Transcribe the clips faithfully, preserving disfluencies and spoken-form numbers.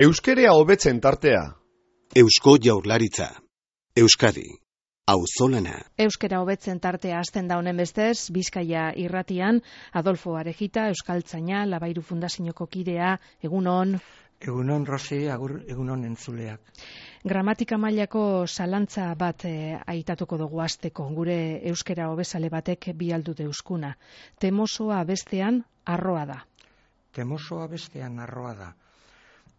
Euskerea hobetzen tartea. Eusko Jaurlaritza. Euskadi. Auzolana. Euskera hobetzen tartea hasten da honen bestez, Bizkaia irratian, Adolfo Arejita, euskaltzaina, Labairu Fundazioko kidea, egunon. Egunon, Rosi, agur, egunon entzuleak. Gramatika mailako zalantza bat e, aitatuko dugu hasteko, gure euskera hobezale batek bialdu deuskuna. Temosoa bestean arroa da. Temosoa bestean arroa da.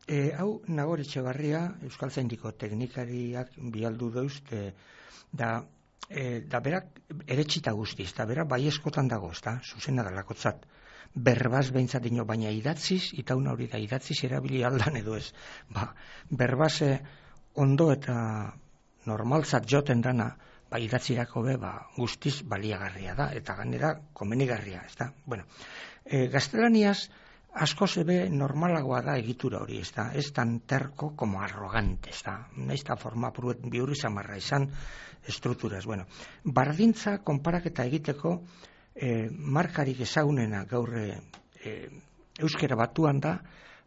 E, hau Nagor Etxebarria, euskaltzaindiko teknikariak bialdu deuzte, da, e, da berak eretxita guztiz, da berak bai eskotan dago, ez da, zuzena dalakotzat. Berbaz behintzat dino, baina idatziz, itauna hori da idatziz erabili aldan edo ez. Ba, berbaz ondo eta normaltzat joten dana, ba, idatzirako be, ba, guztiz baliagarria da, eta ganera komenigarria, ez da. Bueno, e, gaztelaniaz, asko zebe normalagoa da egitura hori, ez da, ez tan terko como arrogante, ez da, nahiz da forma pruet bihurri zamarra izan estrukturaz. Bueno, bardintza konparaketa egiteko e, markarik ezagunena gaur e, euskera batuan da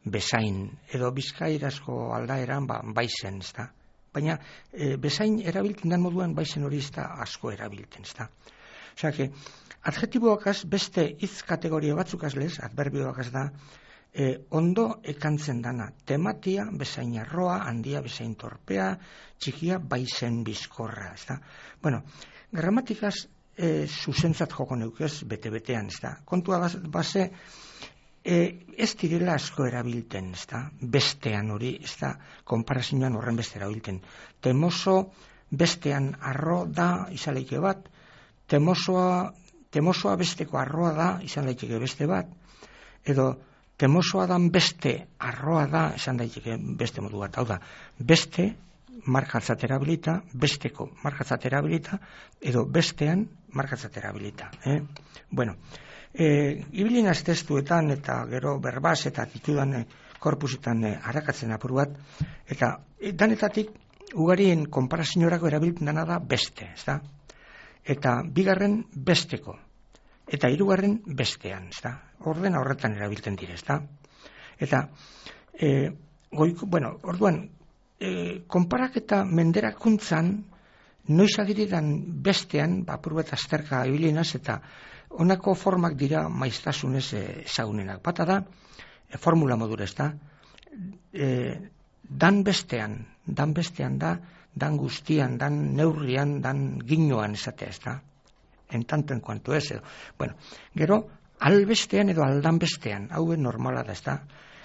bezain, edo bizkairazko aldaeran ba, baizen, ez da. Baina e, bezain erabiltzen den moduan baizen hori ez da asko erabiltzen, ez da. Osea, que adjetiboakaz beste hitz kategoria batzukaz lez, adverbioakaz da, e, ondo ekantzen dana, tematia bezain arroa, handia bezain torpea, txikia baizen bizkorra, ez da. Bueno, gramatikaz e, zuzentzat joko neukez bete-betean, ez da. Kontua base, e, ez direla asko erabilten, ez da, bestean hori, ez da, konparazioan horren beste erabilten. Temoso bestean arro da, izaleike bat, temosoa Temosoa besteko arroa da, izan daiteke beste bat, edo temosoa dan beste arroa da, izan daiteke beste modu bat. Hau da, beste markatzat erabilita, besteko markatzat erabilita, edo bestean markatzat erabilita. Eh? Bueno, e, ibilinaz testuetan eta gero berbaz eta titudan e, korpusetan e, harakatzen apur bat, eta e, danetatik ugarien konparazinorako erabiltzen dena da beste, ez da? Eta bigarren besteko, eta hirugarren bestean, ez da? Ordena horretan erabiltzen dire, ez da? Eta, e, goiko, bueno, orduan, e, konparaketa menderakuntzan, noiz agiridan bestean, bapur bat azterka ibilinaz, eta honako formak dira maiztasunez ezagunenak. Bata da, e, formula modura, ez da? E, dan bestean, dan bestean da, dan guztian, dan neurrian, dan ginoan esatea, ez da? En tanto en cuanto ez, edo. Bueno, gero, albestean edo aldan bestean, hau normala da, ez da?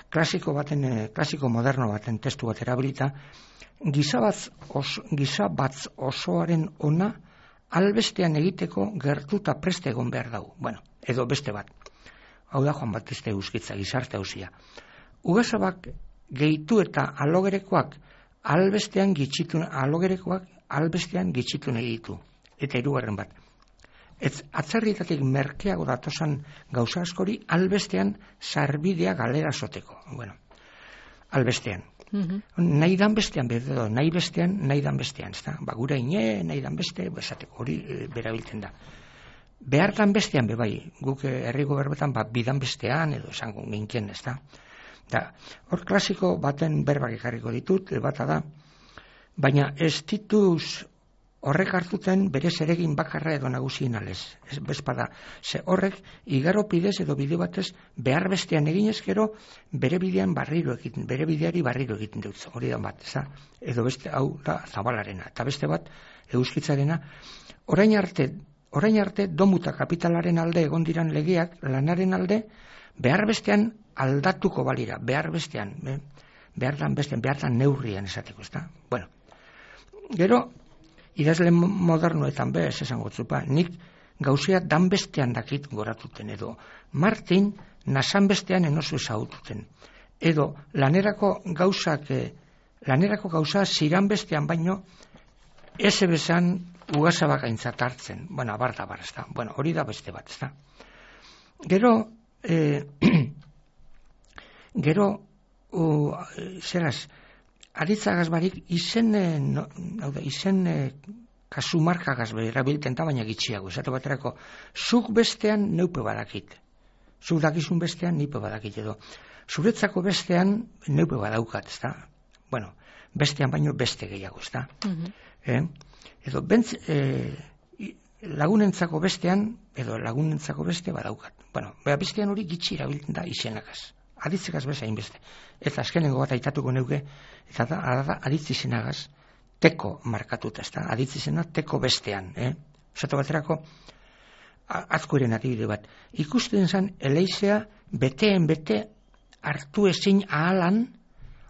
Klasiko baten, klasiko moderno baten testu bat erabilita, gizabatz os, gizabatz osoaren ona, albestean egiteko gertuta preste egon behar dago. Bueno, edo beste bat. Hau da Juan Batiste Euskitza, gizarte hausia. Ugazabak gehitu eta alogerekoak, albestean gitxitun, alogerekoak albestean gitxitun egitu. Eta hirugarren bat. Ez atzerritatik merkeago datosan gauza askori albestean sarbidea galera soteko. Bueno, albestean. Mm-hmm. Nahi dan bestean, bedo, nahi bestean, nahi dan bestean. Ez da? Ba, gura ine, nahi dan beste, esateko, hori e, berabiltzen da. Behar dan bestean, be bai, guk herriko berbetan, ba, bidan bestean, edo esango ginkien, ez da? Da, hor klasiko baten berbak ekarriko ditut, bata da, baina ez dituz horrek hartuten bere zeregin bakarra edo nagusien alez. Ez bezpada, ze horrek igaro pidez edo bide batez behar bestean eginez gero bere bidean barriro egiten, bere bideari barriro egiten dut, hori da bat, ez da? Edo beste, hau da zabalarena, eta beste bat euskitzarena, orain arte, orain arte domuta kapitalaren alde egon diran legeak, lanaren alde, behar bestean aldatuko balira, behar bestean, eh? behar dan bestean, behar dan neurrian esateko, ez da? Bueno, gero, idazle modernoetan be, ez esango tzupa, nik gauzea dan bestean dakit goratuten, edo Martin nasan bestean enozu ezaututen, edo lanerako gauzak, eh, lanerako gauza ziran bestean baino, ez ebezan ugazabak aintzat hartzen, bueno, abar da bar, ez da, bueno, hori da beste bat, ez da. Gero, eh, gero, uh, zeraz, aritzagaz barik, izen, no, izen kasu markagaz erabilten da, baina gitxiago. Esate baterako, zuk bestean neupe badakit. Zuk dakizun bestean nipe badakit edo. zuretzako bestean neupe badaukat, ez da? Bueno, bestean baino beste gehiago, ez da? Uh-huh. Eh? Edo, bentz, eh, lagunentzako bestean, edo lagunentzako beste badaukat. Bueno, beha bestean hori gitxi erabiltzen da izenagaz. Aditzekaz bezain beste. Eta azkenengo bat aitatuko neuke, eta da, da aditz izenagaz, teko markatuta, ez da? Aditz izena teko bestean, eh? Zato baterako, azkoeren adibide bat. Ikusten zen, eleizea beteen bete hartu ezin ahalan,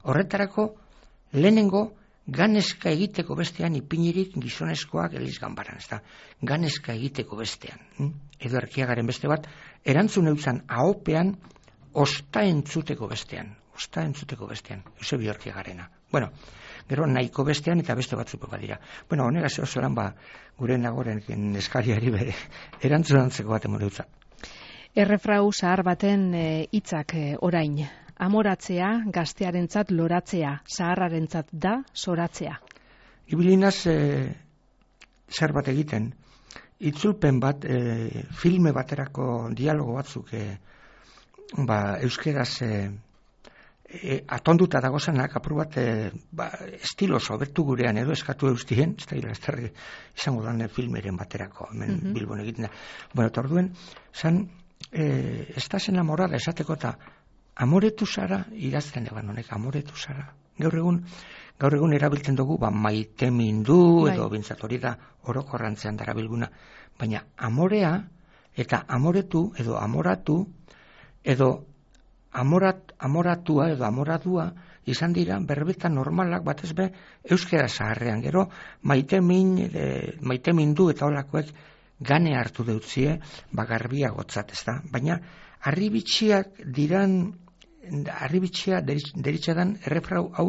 horretarako lehenengo ganezka egiteko bestean ipinirik gizonezkoak eliz ganbaran, ez da? Ganezka egiteko bestean. Hm? Edo Erkiagaren beste bat, erantzun eutzan ahopean osta entzuteko bestean. Osta entzuteko bestean. Eusebio Erkiagarena. Bueno, gero nahiko bestean eta beste batzuk badira. Bueno, honegaz oso lan ba, gure nagoren eskariari bere erantzunantzeko bat emon eutza. Errefrau zahar baten hitzak e, orain. Amoratzea, gaztearentzat loratzea, zaharrarentzat da zoratzea. Ibilinaz e, zer bat egiten, itzulpen bat, e, filme baterako dialogo batzuk e, ba, euskeraz e, e, atonduta dagozanak, apur bat e, ba, estilo sobertu gurean edo eskatu eustien, ez da gira, izango dan filmeren baterako, hemen mm-hmm. Bilbon egiten da. Bueno, eta orduen, zan, e, estás enamorada esateko eta amoretu zara, idazten eban honek, amoretu zara. Gaur egun, gaur egun erabiltzen dugu, ba, maite mindu, edo bintzat hori da, orokorrantzean darabilguna. Baina amorea, eta amoretu, edo amoratu, edo amorat, amoratua, edo amoratua, izan dira, berbeta normalak, batez be, euskera zaharrean. Gero, maite min, e, maite mindu, eta holakoek, gane hartu deutzie, bagarbia gotzat, ez da? Baina, arribitxiak diran, arribitxia deritxadan errefrau hau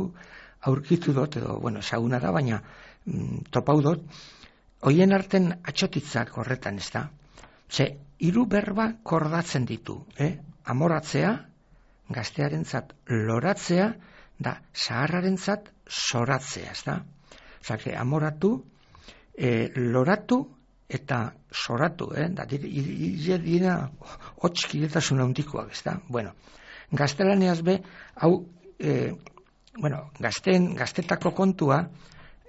aurkitu dut, edo, bueno, ezaguna da, baina mm, topau dut, hoien arten atxotitzak horretan, ez da? Ze, hiru berba kordatzen ditu, eh? Amoratzea, gaztearentzat loratzea, da, zaharrarentzat zoratzea, ez da? Zake, amoratu, e, loratu, eta zoratu, eh? Da, dira, dira, hotxkidetasun handikoak, ez da? Bueno, gaztelaneaz be, hau, e, bueno, gazten, gaztetako kontua,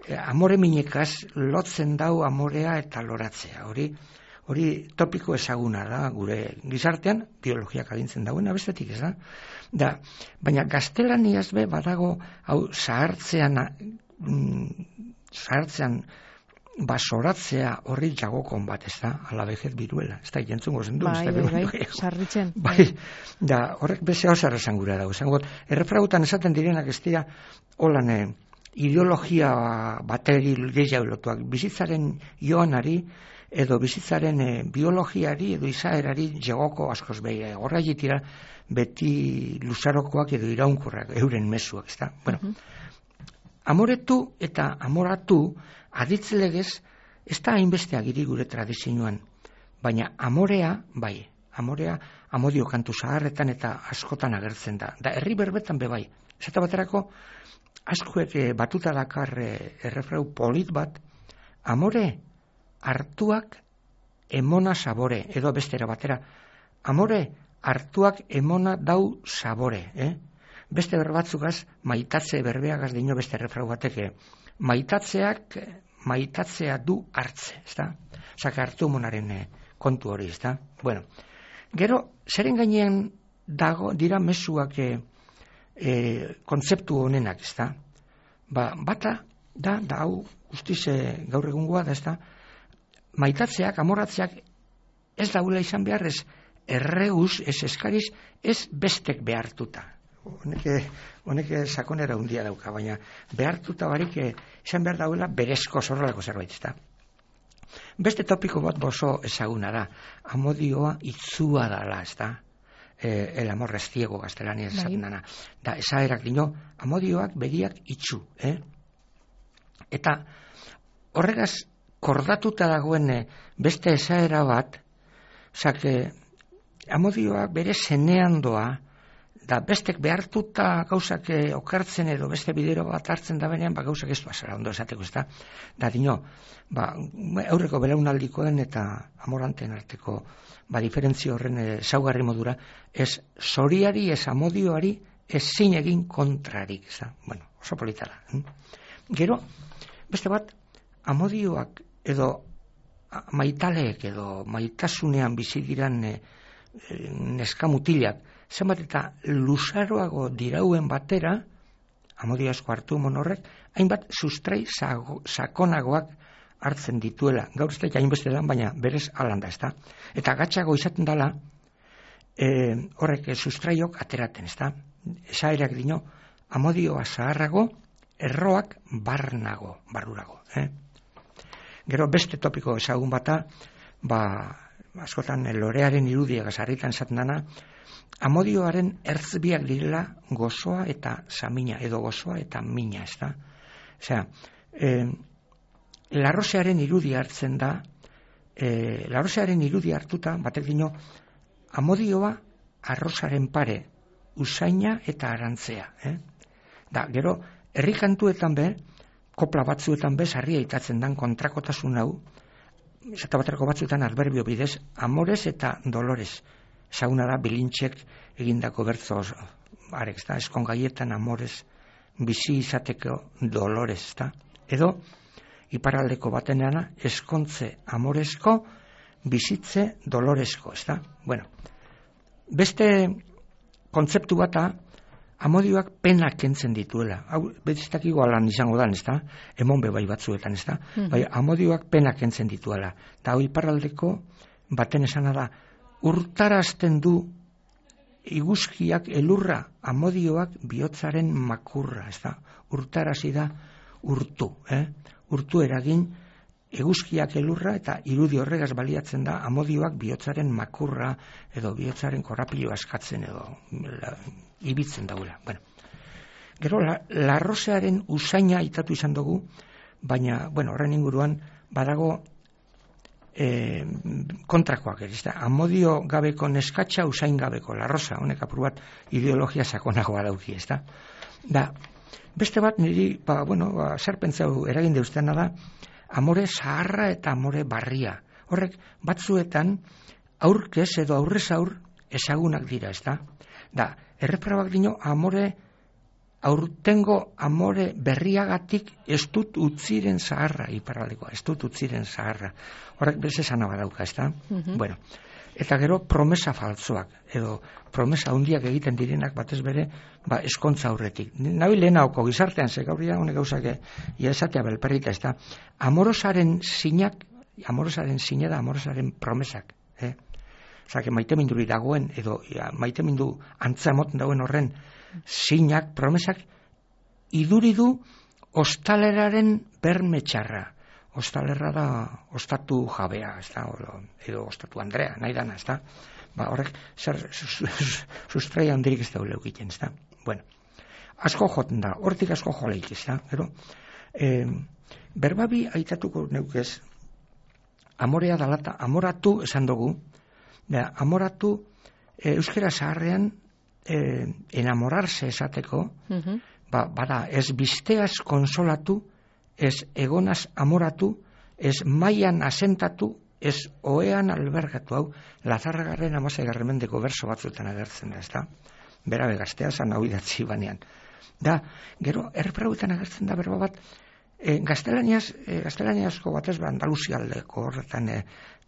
e, amore minekaz lotzen dau amorea eta loratzea. Hori, hori topiko ezaguna da, gure gizartean, biologiak adintzen dauena, bestetik ez da? Da, baina gaztelaniaz be, badago, hau, zahartzean, mm, zahartzean, basoratzea horri jagokon bat, ez da, alabejez biruela, ez da, jentzungo zendu, bai, ez da, bai, bai, sarritzen. Bai, da, horrek beze hau zarra zangura dago, zangot, errefragutan esaten direnak ez dira, holan, eh, ideologia bateri gehiago lotuak, bizitzaren joanari, edo bizitzaren eh, biologiari, edo izaerari jagoko askoz behi, horra jitira, beti luzarokoak edo iraunkorrak, euren mezuak, ez da, bueno, uh-huh. Amoretu eta amoratu, aditzelegez, ez da hainbeste agiri gure tradizioan, baina amorea, bai, amorea amodio kantu zaharretan eta askotan agertzen da. Da, herri berbetan be bai. Zeta baterako, askoek batuta dakar errefrau polit bat, amore hartuak emona sabore, edo bestera batera, amore hartuak emona dau sabore, eh? Beste berbatzugaz, maitatze berbeagaz dino beste errefrau bateke, maitatzeak, maitatzea du hartze, ez da? Zaka hartu monaren eh, kontu hori, ez da? Bueno, gero, zeren gainean dago, dira mezuak eh, eh, kontzeptu honenak, ez da? Ba, bata, da, da hau, guztiz eh, gaur egungoa da, ez da? Maitatzeak, amoratzeak, ez daula izan behar, ez erreuz, ez eskariz, ez bestek behartuta. Honeke, honeke sakonera hundia dauka, baina behartuta barik izan behar dauela berezko zorrelako zerbait, ezta. Beste topiko bat oso ezaguna da, amodioa itzua dala, ezta. Eh, el amor restiego gaztelania esaten dana. Da, esaerak dino, amodioak begiak itxu, eh? Eta horregaz kordatuta dagoen beste esaera bat, zake, amodioak bere zenean doa, da bestek behartuta gauzak eh, okertzen edo beste bidero bat hartzen da benean, ba gauzak ez pasara ondo esateko, ezta? Da dino, ba aurreko belaunaldikoen eta amoranteen arteko ba diferentzio horren ezaugarri modura, ez zoriari, ez amodioari, ez zin egin kontrarik, ezta? Bueno, oso polita da. Hm? Gero, beste bat, amodioak edo maitaleek edo maitasunean bizi diran e, e, neskamutilak, zenbat eta luzaroago dirauen batera, amodio asko hartu monorrek, hainbat sustrai sakonagoak hartzen dituela. Gaur ez da hainbeste dan, baina berez alanda, ez da. Eta gatsago izaten dela, e, horrek sustraiok ateraten, ez da. Esaerak dino, amodioa zaharrago, erroak barnago, barrurago. Eh? Gero beste topiko ezagun bata, ba, askotan lorearen irudiak sarritan esaten dana, amodioaren ertzbiak direla gozoa eta samina, edo gozoa eta mina, ez da. Osea, eh, larrosearen irudi hartzen da, eh, larrosearen irudi hartuta, batek dino, amodioa arrozaren pare, usaina eta arantzea. Eh? Da, gero, herrikantuetan be, kopla batzuetan be, sarria itatzen dan kontrakotasun hau, eta baterako batzuetan adverbio bidez, amores eta dolores. Ezaguna da, bilintxek egindako bertzo arek, da, eskongaietan amores, bizi izateko dolores, da. Edo, iparaldeko bateneana, eskontze amoresko, bizitze doloresko, ez da. Bueno, beste kontzeptu bata, amodioak penak kentzen dituela. Hau, betzitakigo alan izango dan, ez da? Emon bebai batzuetan, ez da? Mm-hmm. Bai, amodioak penak kentzen dituela. Da, hoi paraldeko baten esana da, urtarazten du iguzkiak elurra, amodioak bihotzaren makurra, ez da? Urtarazi da urtu, eh? Urtu eragin eguzkiak elurra eta irudi horregaz baliatzen da amodioak bihotzaren makurra edo bihotzaren korrapiloa askatzen edo la, ibitzen dauela. Bueno, gero, larrosearen la usaina aitatu izan dugu, baina, bueno, horren inguruan badago e, kontrakoak, ez da, amodio gabeko neskatxa usain gabeko, larrosa, honek apur bat ideologia sakonagoa dauki, ez da. Da, beste bat niri, ba, bueno, ba, zer pentsau eragin deuzteana da, amore zaharra eta amore barria. Horrek, batzuetan, aurkez edo aurrez aur ezagunak dira, ez da? Da, erreprabak dino, amore, aurtengo amore berriagatik ez dut utziren zaharra, iparraldekoa, ez dut utziren zaharra. Horrek bez esan abadauka, ez da? Mm-hmm. Bueno, eta gero promesa faltzoak, edo promesa handiak egiten direnak batez bere, ba, eskontza aurretik. Nabi lehenauko gizartean, ze gaurria honek gauzak ia esatea belperrita, ez da, amorosaren sinak, amorosaren sine da amorosaren promesak, eh? Osa, maite minduri dagoen, edo ja, maite mindu antza moten dagoen horren sinak, promesak, iduridu ostaleraren bermetxarra. Ostalerra da ostatu jabea, ez da, edo ostatu Andrea, nahi dana, ez da. Ba, horrek, zer sustraia handirik ez da leukiten, ez da. Bueno, asko joten da, hortik asko joleik, ez da. Gero, eh, berbabi aitatuko neukez, amorea dalata, amoratu esan dugu, da, amoratu e, euskera zaharrean e, enamorarse esateko, uh-huh. ba, bada, ez bizteaz konsolatu, ez egonaz amoratu, ez maian asentatu, ez oean albergatu, hau, Lazarragarren amaseigarren mendeko berso batzuetan agertzen da, ez da? Berabe gaztea zan hau idatzi banean. Da, gero, erreprauetan agertzen da berba bat, e, gaztelaniaz, e, gaztelaniazko batez ba, Andaluzialdeko horretan, e,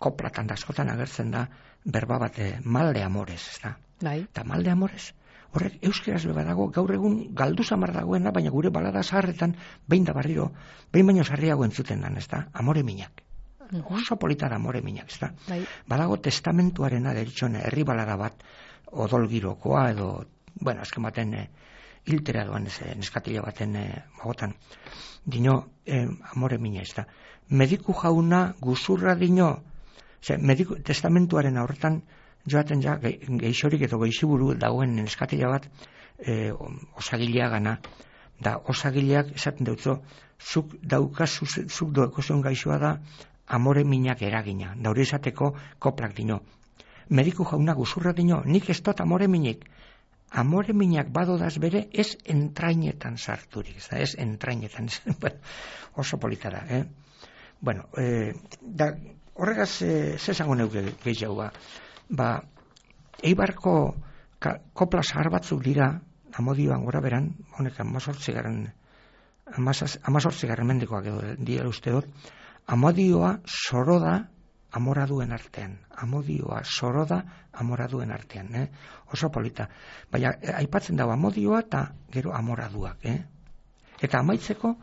koplatan da askotan agertzen da, berba bat, e, mal de amores, ez da? Bai. Eta mal de amores, horrek euskeraz beba dago, gaur egun galdu zamar dagoena, baina gure balada zaharretan, behin da barriro, behin baino zarriago entzuten dan, ez da? Amore minak. Uh-huh. Oso polita da amore minak, ez da? Bai. Badago testamentuarena deritxone, herri balada bat, odol girokoa, edo, bueno, azken baten, e, hiltera doan, ez, neskatila baten, e, magotan, dino, e, amore mina, ez da? Mediku jauna guzurra dino, ze, mediku, testamentuaren horretan, joaten ja, geixorik edo geixiburu dagoen neskatila bat, e, osagilea gana, da osagileak esaten dutzo, zuk daukazu, zuk doekozion gaixoa da, amore minak eragina, da hori esateko koplak dino. Mediku jauna guzurra dino, nik ez dut amore minik, amore minak badodaz bere, ez entrainetan sarturik, ez, da, ez entrainetan, bueno, oso polita da, eh? Bueno, eh, da, horregaz, eh, zesango neuke gehiago, ba, ba Eibarko ka, kopla zahar batzuk dira, amodioan gora beran, honek amazortzigarren, amazortzigarren mendikoak edo dira uste dut, amodioa zoro da amoraduen artean. Amodioa zoro da amoraduen artean. Eh? Oso polita. Baina, aipatzen dago amodioa eta gero amoraduak. Eh? Eta amaitzeko,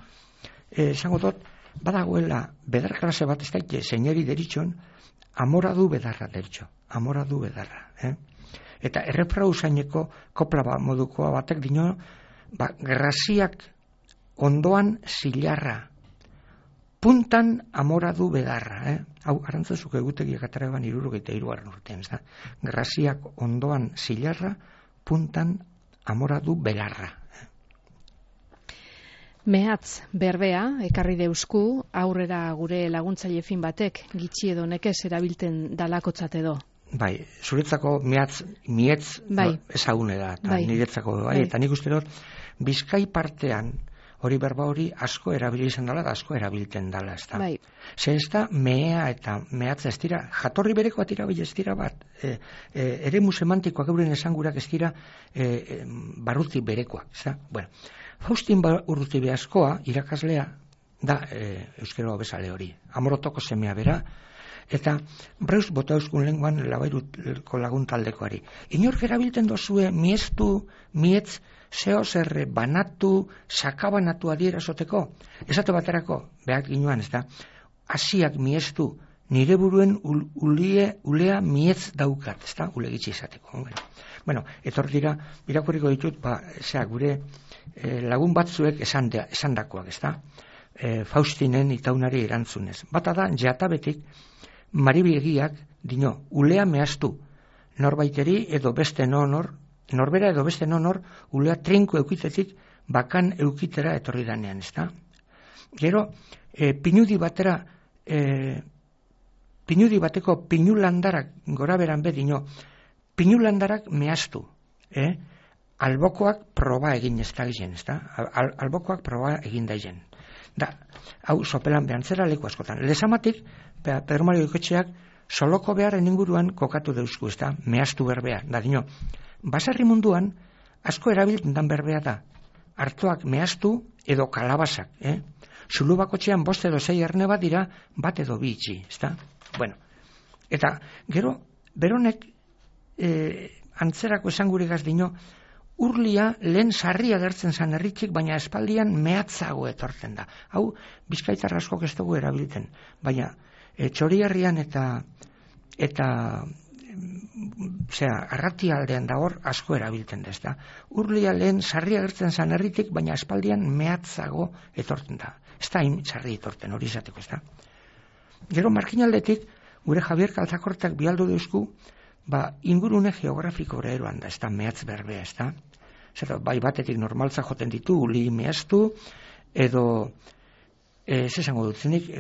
eh, esango dut, badagoela bedar klase bat, ez daite, seineri deritxon, amoradu bedarra deritxo. Amoradu bedarra. Eh? Eta errefrau zaineko kopla ba, modukoa batek dino, ba, graziak ondoan zilarra, puntan amoradu bedarra, eh? Hau, arantzazuk egutegiak ataraban irurogeita iruaren urtean, ez da? Graziak ondoan zilarra, puntan amoradu belarra. Mehatz berbea, ekarri deusku, aurrera gure laguntzaile fin batek, gitxi edo nekez erabilten dalakotzat edo. Bai, zuretzako mehatz, mietz bai. No, ezagune da, eta bai. niretzako, bai, bai. Eta nik uste dut, Bizkai partean, hori berba hori asko erabili izan dela, da asko erabilten dela, ez da. Bai. Ze ez da, mea eta mehatza ez dira, jatorri berekoa tira bai ez dira bat, e, e, eremu semantikoak euren esangurak ez dira e, e, barruti berekoak, ez da. Bueno, Faustin Urruti askoa, irakaslea, da e, euskero bezale hori, amorotoko semea bera, eta Breus bota euskun lenguan labairuko lagun taldekoari. Inork erabilten dozue miestu, mietz, zeo zerre banatu, sakabanatu adierazoteko. Esate baterako, behak ginoan, ez da, asiak miestu, nire buruen ul, ulie, ulea mietz daukat, ez da, ulegitzi izateko. Bueno, bueno etor dira, irakurriko ditut, ba, zera, gure eh, lagun batzuek esan, de, esan dakoak, ez da, eh, Faustinen itaunari erantzunez. Bata da, jatabetik, maribiegiak, dino, ulea mehaztu, norbaiteri edo beste nonor, norbera edo beste nonor, ulea trinko eukitetik bakan eukitera etorri danean, ez da? Gero, e, pinudi batera, e, pinudi bateko pinulandarak gora beran bedino, pinulandarak mehaztu, eh? Albokoak proba egin ez da egin, ez da? Al, albokoak proba egin da egin. Da, hau sopelan behantzera leku askotan. Lezamatik, Pedro Mario Ikotxeak, soloko beharren inguruan kokatu deusku, ez da? Mehaztu berbea, da dino, baserri munduan, asko erabiltzen dan berbea da. Artoak mehaztu edo kalabazak, eh? Zulu bakotxean bost edo zei erne bat dira, bat edo bi itxi, ezta? Bueno, eta gero, beronek eh, antzerako esanguregaz dino, urlia lehen sarria gertzen zan herritxik, baina espaldian mehatzago etortzen da. Hau, Bizkaitar askok ez dugu erabiltzen, baina e, Txoriarrian eta eta zera, arratialdean da hor asko erabiltzen da, ezta. Urlia lehen sarria gertzen zan herritik, baina espaldian mehatzago etortzen da. Ez da hain sarri etorten hori izateko, ezta. Gero markinaldetik, gure Javier Kaltzakortak bialdu deusku, ba, ingurune geografiko eroan da, ez da, mehatz berbea, ez da. Zer, bai batetik normaltza joten ditu, uli mehaztu, edo, ez esango dutzenik,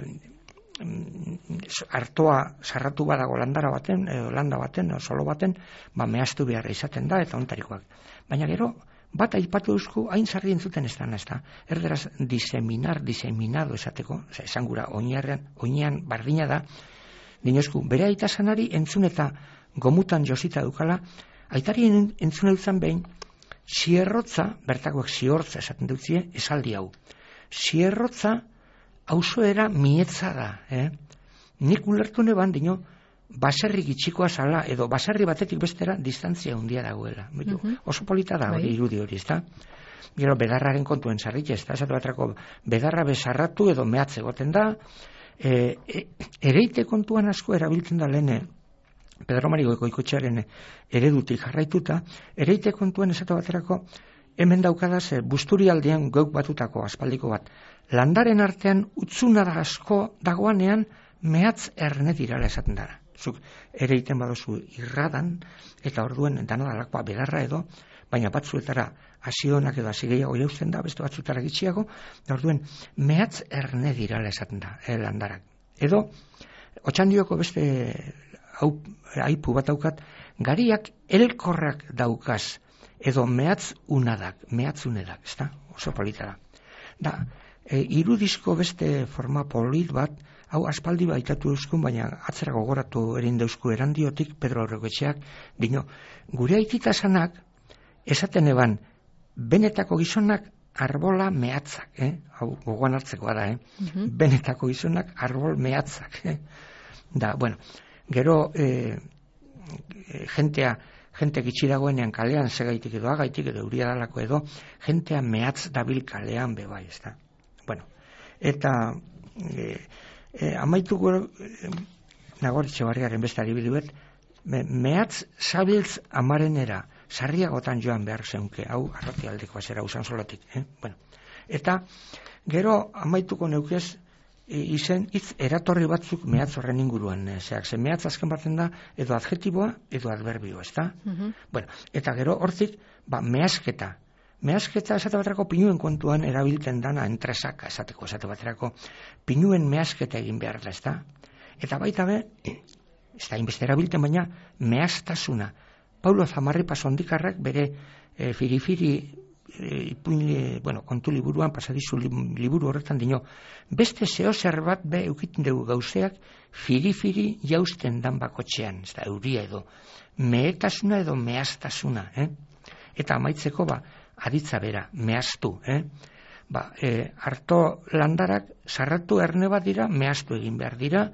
artoa sarratu badago landara baten, edo landa baten, edo solo baten, ba, mehaztu beharra izaten da, eta ontarikoak. Baina gero, bat aipatu eusku, hain sarri entzuten ez da, ez da. Erderaz, diseminar, diseminado esateko, esangura, oinarrean, oinean bardina da, dinosku, bere aita sanari entzun eta gomutan josita dukala, aitari entzun eutzen behin, zierrotza, bertakoek ziortza esaten dutzie, esaldi hau. Zierrotza, auzoera mietza da, eh? Nik ulertu neban, dino, baserri gitxikoa zala, edo baserri batetik bestera, distantzia handia dagoela. Mm-hmm. Oso polita da hori, irudi hori, ez da? Gero, bedarraren kontuen zarrik, ez da? Esatu batrako, bedarra bezarratu edo mehatze goten da, e, e, ereite kontuan asko erabiltzen da lehene, Pedro Mario Goikotxearen eredutik jarraituta, ereite kontuen esatu baterako, hemen daukadaz, busturialdean geuk batutako aspaldiko bat. Landaren artean utzuna da asko dagoanean mehatz erne dirala esaten dara. Zuk ereiten badozu irradan, eta orduen dana dalakoa bedarra edo, baina batzuetara hasionak edo hasi gehiago jausten da, beste batzutara gitxiago, da orduen mehatz erne dirala esaten da, eh, landarak. Edo, Otxandioko beste hau, aipu bat daukat, gariak elkorrak daukaz, edo mehatz unadak, mehatz unedak, ez da? Oso polita da. Da, e, irudizko beste forma polit bat, hau aspaldi baitatu euskun, baina atzera gogoratu erin deusku erandiotik Pedro Aurrekoetxeak, dino, gure aitita esanak, esaten eban, benetako gizonak arbola mehatzak, eh? Hau gogoan hartzekoa da, eh? Uh-huh. Benetako gizonak arbol mehatzak, eh? Da, bueno, gero eh, jentea, jente gitxi dagoenean kalean segaitik edo agaitik edo euria dalako edo, jentea mehatz dabil kalean bebai, ez da. Bueno, eta eh, eh, amaituko eh, Nagoritxe barriaren beste adibiduet, me, mehatz zabiltz amarenera, sarriagotan joan behar zeunke, hau arratialdeko azera usan solatik. Eh? Bueno, eta gero amaituko neukez izen hitz eratorri batzuk mehatz horren inguruan. Eh, zeak, ze mehatz azken batzen da edo adjetiboa edo adverbioa, ez da? Uh-huh. Bueno, eta gero hortik, ba, mehasketa. Mehasketa esate baterako pinuen kontuan erabiltzen dana entresaka esateko, esate baterako pinuen mehasketa egin behar da, ez da? Eta baita be, ez da inbeste erabiltzen, baina mehastasuna. Paulo Zamarripa Sondikarrak bere e, firifiri e, ipuin, bueno, kontu liburuan, pasadizu liburu horretan dino, beste zeo zer bat be eukiten dugu gauzeak firifiri jausten dan bakotxean, ez da, euria edo, mehetasuna edo mehastasuna, eh? Eta amaitzeko, ba, aditza bera, mehaztu, eh? Ba, e, harto landarak sarratu erne bat dira, mehaztu egin behar dira,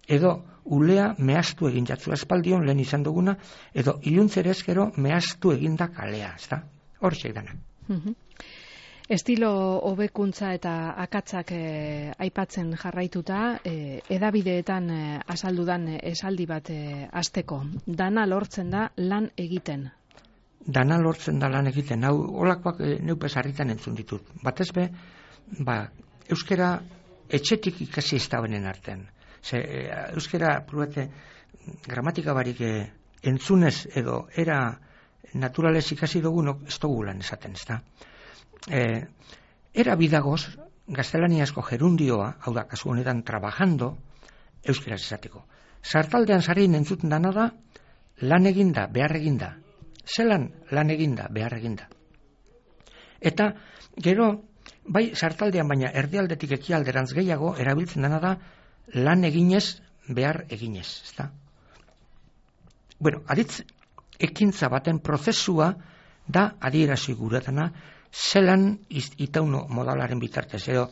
edo ulea mehaztu egin jatzu espaldion lehen izan duguna, edo iluntzere ezkero mehaztu eginda kalea, ez da? Hor txeidana. Uh-huh. Estilo hobekuntza eta akatzak eh, aipatzen jarraituta, eh, edabideetan eh, azaldudan esaldi bat eh, azteko. Dana lortzen da lan egiten. Dana lortzen da lan egiten. Hau, olakoak eh, neupez harritan entzun ditut. Batez be, ba, euskera etxetik ikasi ez da benen artean. Ze, euskera pruete gramatika barik eh, entzunez edo era naturalez ikasi dugunok ez dugu lan esaten, ez da. Eh, era bidagoz gaztelaniazko gerundioa, hau da, kasu honetan trabajando, euskeraz esateko. Sartaldean sarien entzuten dana da, lan eginda, behar eginda. Zelan lan eginda, behar eginda. Eta gero, bai sartaldean baina erdialdetik ekialderantz gehiago erabiltzen dana da, lan eginez, behar eginez, ezta? Bueno, aditz, ekintza baten prozesua da adierazi guretana zelan itauno modalaren bitartez, edo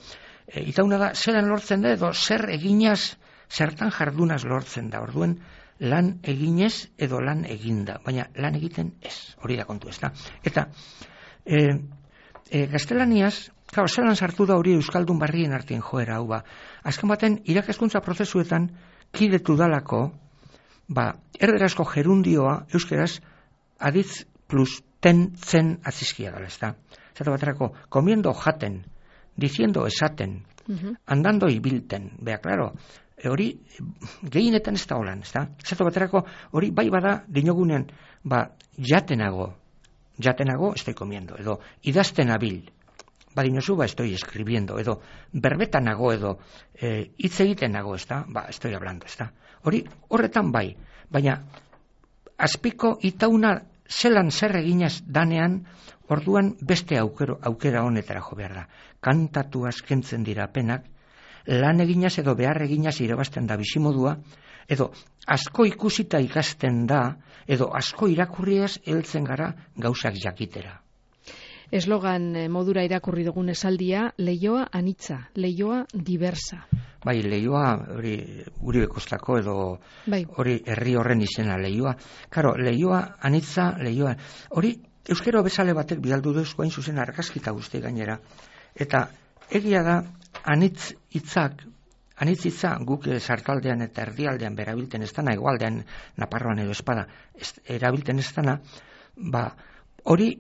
e, itauna da zelan lortzen da, edo zer eginaz, zertan jardunaz lortzen da, orduen lan eginez edo lan eginda, baina lan egiten ez, hori da kontu, ez da? Eta, e, e, gaztelaniaz, Claro, zelan sartu da hori euskaldun barrien artien joera hau ba. Azken baten, irakaskuntza prozesuetan kidetu dalako, ba, erderazko gerundioa, euskeraz, aditz plus ten zen azizkia dala, ez da. Zata baterako, comiendo jaten, diciendo esaten, uh-huh. andando ibilten, bea, claro, e, hori gehienetan ez da holan, ez da. Zata baterako, hori bai bada, dinogunean, ba, jatenago, jatenago, estoy comiendo, edo, idazten abil, badinozu, ba, estoy escribiendo, edo, berbetanago, edo, e, hitz egitenago, ez da, ba, estoy hablando, ez da. Hori, horretan bai, baina, azpiko itauna zelan zer eginaz danean, orduan beste aukero, aukera honetara jo behar da. Kantatu askentzen dira penak, lan eginaz edo behar eginaz irabazten da bizimodua, edo asko ikusita ikasten da, edo asko irakurriaz heltzen gara gauzak jakitera. Eslogan modura irakurri dugun esaldia, leioa anitza, leioa diversa. Bai, leioa hori guri bekostako edo bai. Hori herri horren izena leioa. Karo, leioa anitza, leioa. Hori euskero bezale batek bidaldu duzko hain zuzen argazkita guzti gainera. Eta egia da anitz hitzak, anitz hitza guk sartaldean eta erdialdean berabilten ez dana, egoaldean Naparroan edo espada erabilten ez dana, ba, hori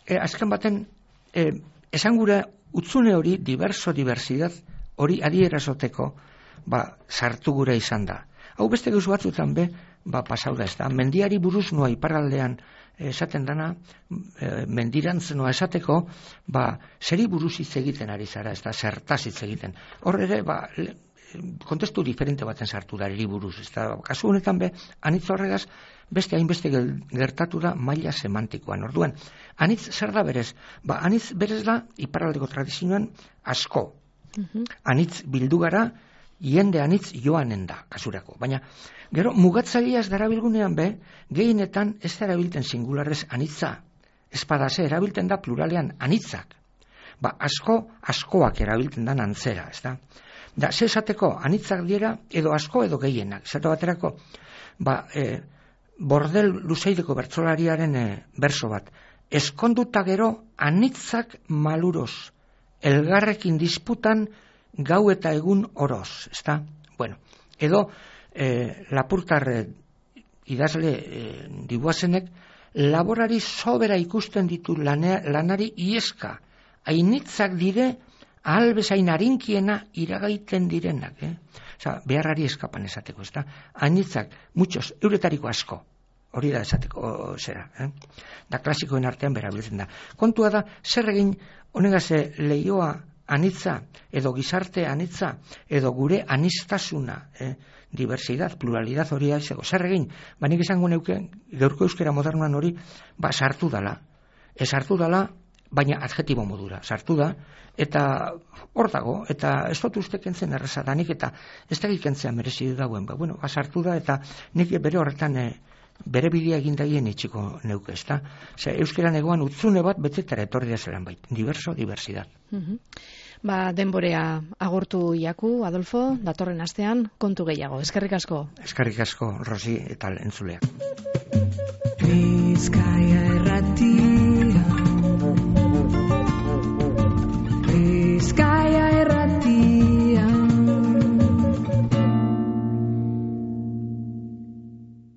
E, azken baten, e, esan gura utzune hori, diverso, diversidad, hori adierazoteko, ba, sartu gura izan da. Hau beste gauzu batzutan be, ba, pasau da ez da. Mendiari buruz noa iparraldean esaten dana, e, mendirantz noa esateko, ba, zeri buruz hitz egiten ari zara, ez da, zertaz hitz egiten. Hor ere, ba, kontestu diferente baten sartu da hiri buruz. Ez da, kasu honetan be, anitz horregaz, beste hainbeste gertatu da maila semantikoan. Orduan, anitz zer da berez? Ba, anitz berez da, iparraldeko tradizioan asko. Uh-huh. Anitz bildu gara, jende anitz joanen da, kasurako. Baina, gero, mugatzaileaz darabilgunean be, gehienetan ez da erabilten singularrez anitza. Espadase erabilten da pluralean anitzak. Ba, asko, askoak erabilten da antzera, ez da? Da, ze esateko, anitzak dira, edo asko, edo gehienak. Zato baterako, ba, e, bordel luzeideko bertsolariaren e, berso bat. Eskonduta gero, anitzak maluros, elgarrekin disputan, gau eta egun oroz, ez da? Bueno, edo, e, lapurtar e, idazle e, dibuazenek, laborari sobera ikusten ditu lane, lanari ieska, hainitzak dire, ahal bezain harinkiena iragaiten direnak, eh? Osa, beharrari eskapan esateko, ez da? Hainitzak, muchos, euretariko asko, hori da esateko, o, zera, eh? Da klasikoen artean berabiltzen da. Kontua da, zer egin, honegaz lehioa anitza, edo gizarte anitza, edo gure anistasuna, eh? Diversidad, pluralidad hori da izego. Zer egin, ba nik izango neuke, gaurko euskera modernoan hori, ba sartu dala. Ez sartu dala, baina adjetibo modura sartu da, eta hor dago, eta ez dut uste kentzen erreza da, nik eta ez da kentzea merezi dagoen, ba, bueno, ba, sartu da, eta nik bere horretan e, bere bidea egin daien itxiko neuke, ez da? Zer, euskeran egoan utzune bat betetara etorri da zelan bait, diverso, diversidad. Uh-huh. Ba, denborea agortu jaku, Adolfo, datorren astean, kontu gehiago. Eskerrik asko. Eskerrik asko, Rosi, eta entzuleak. Bizkaia erratia.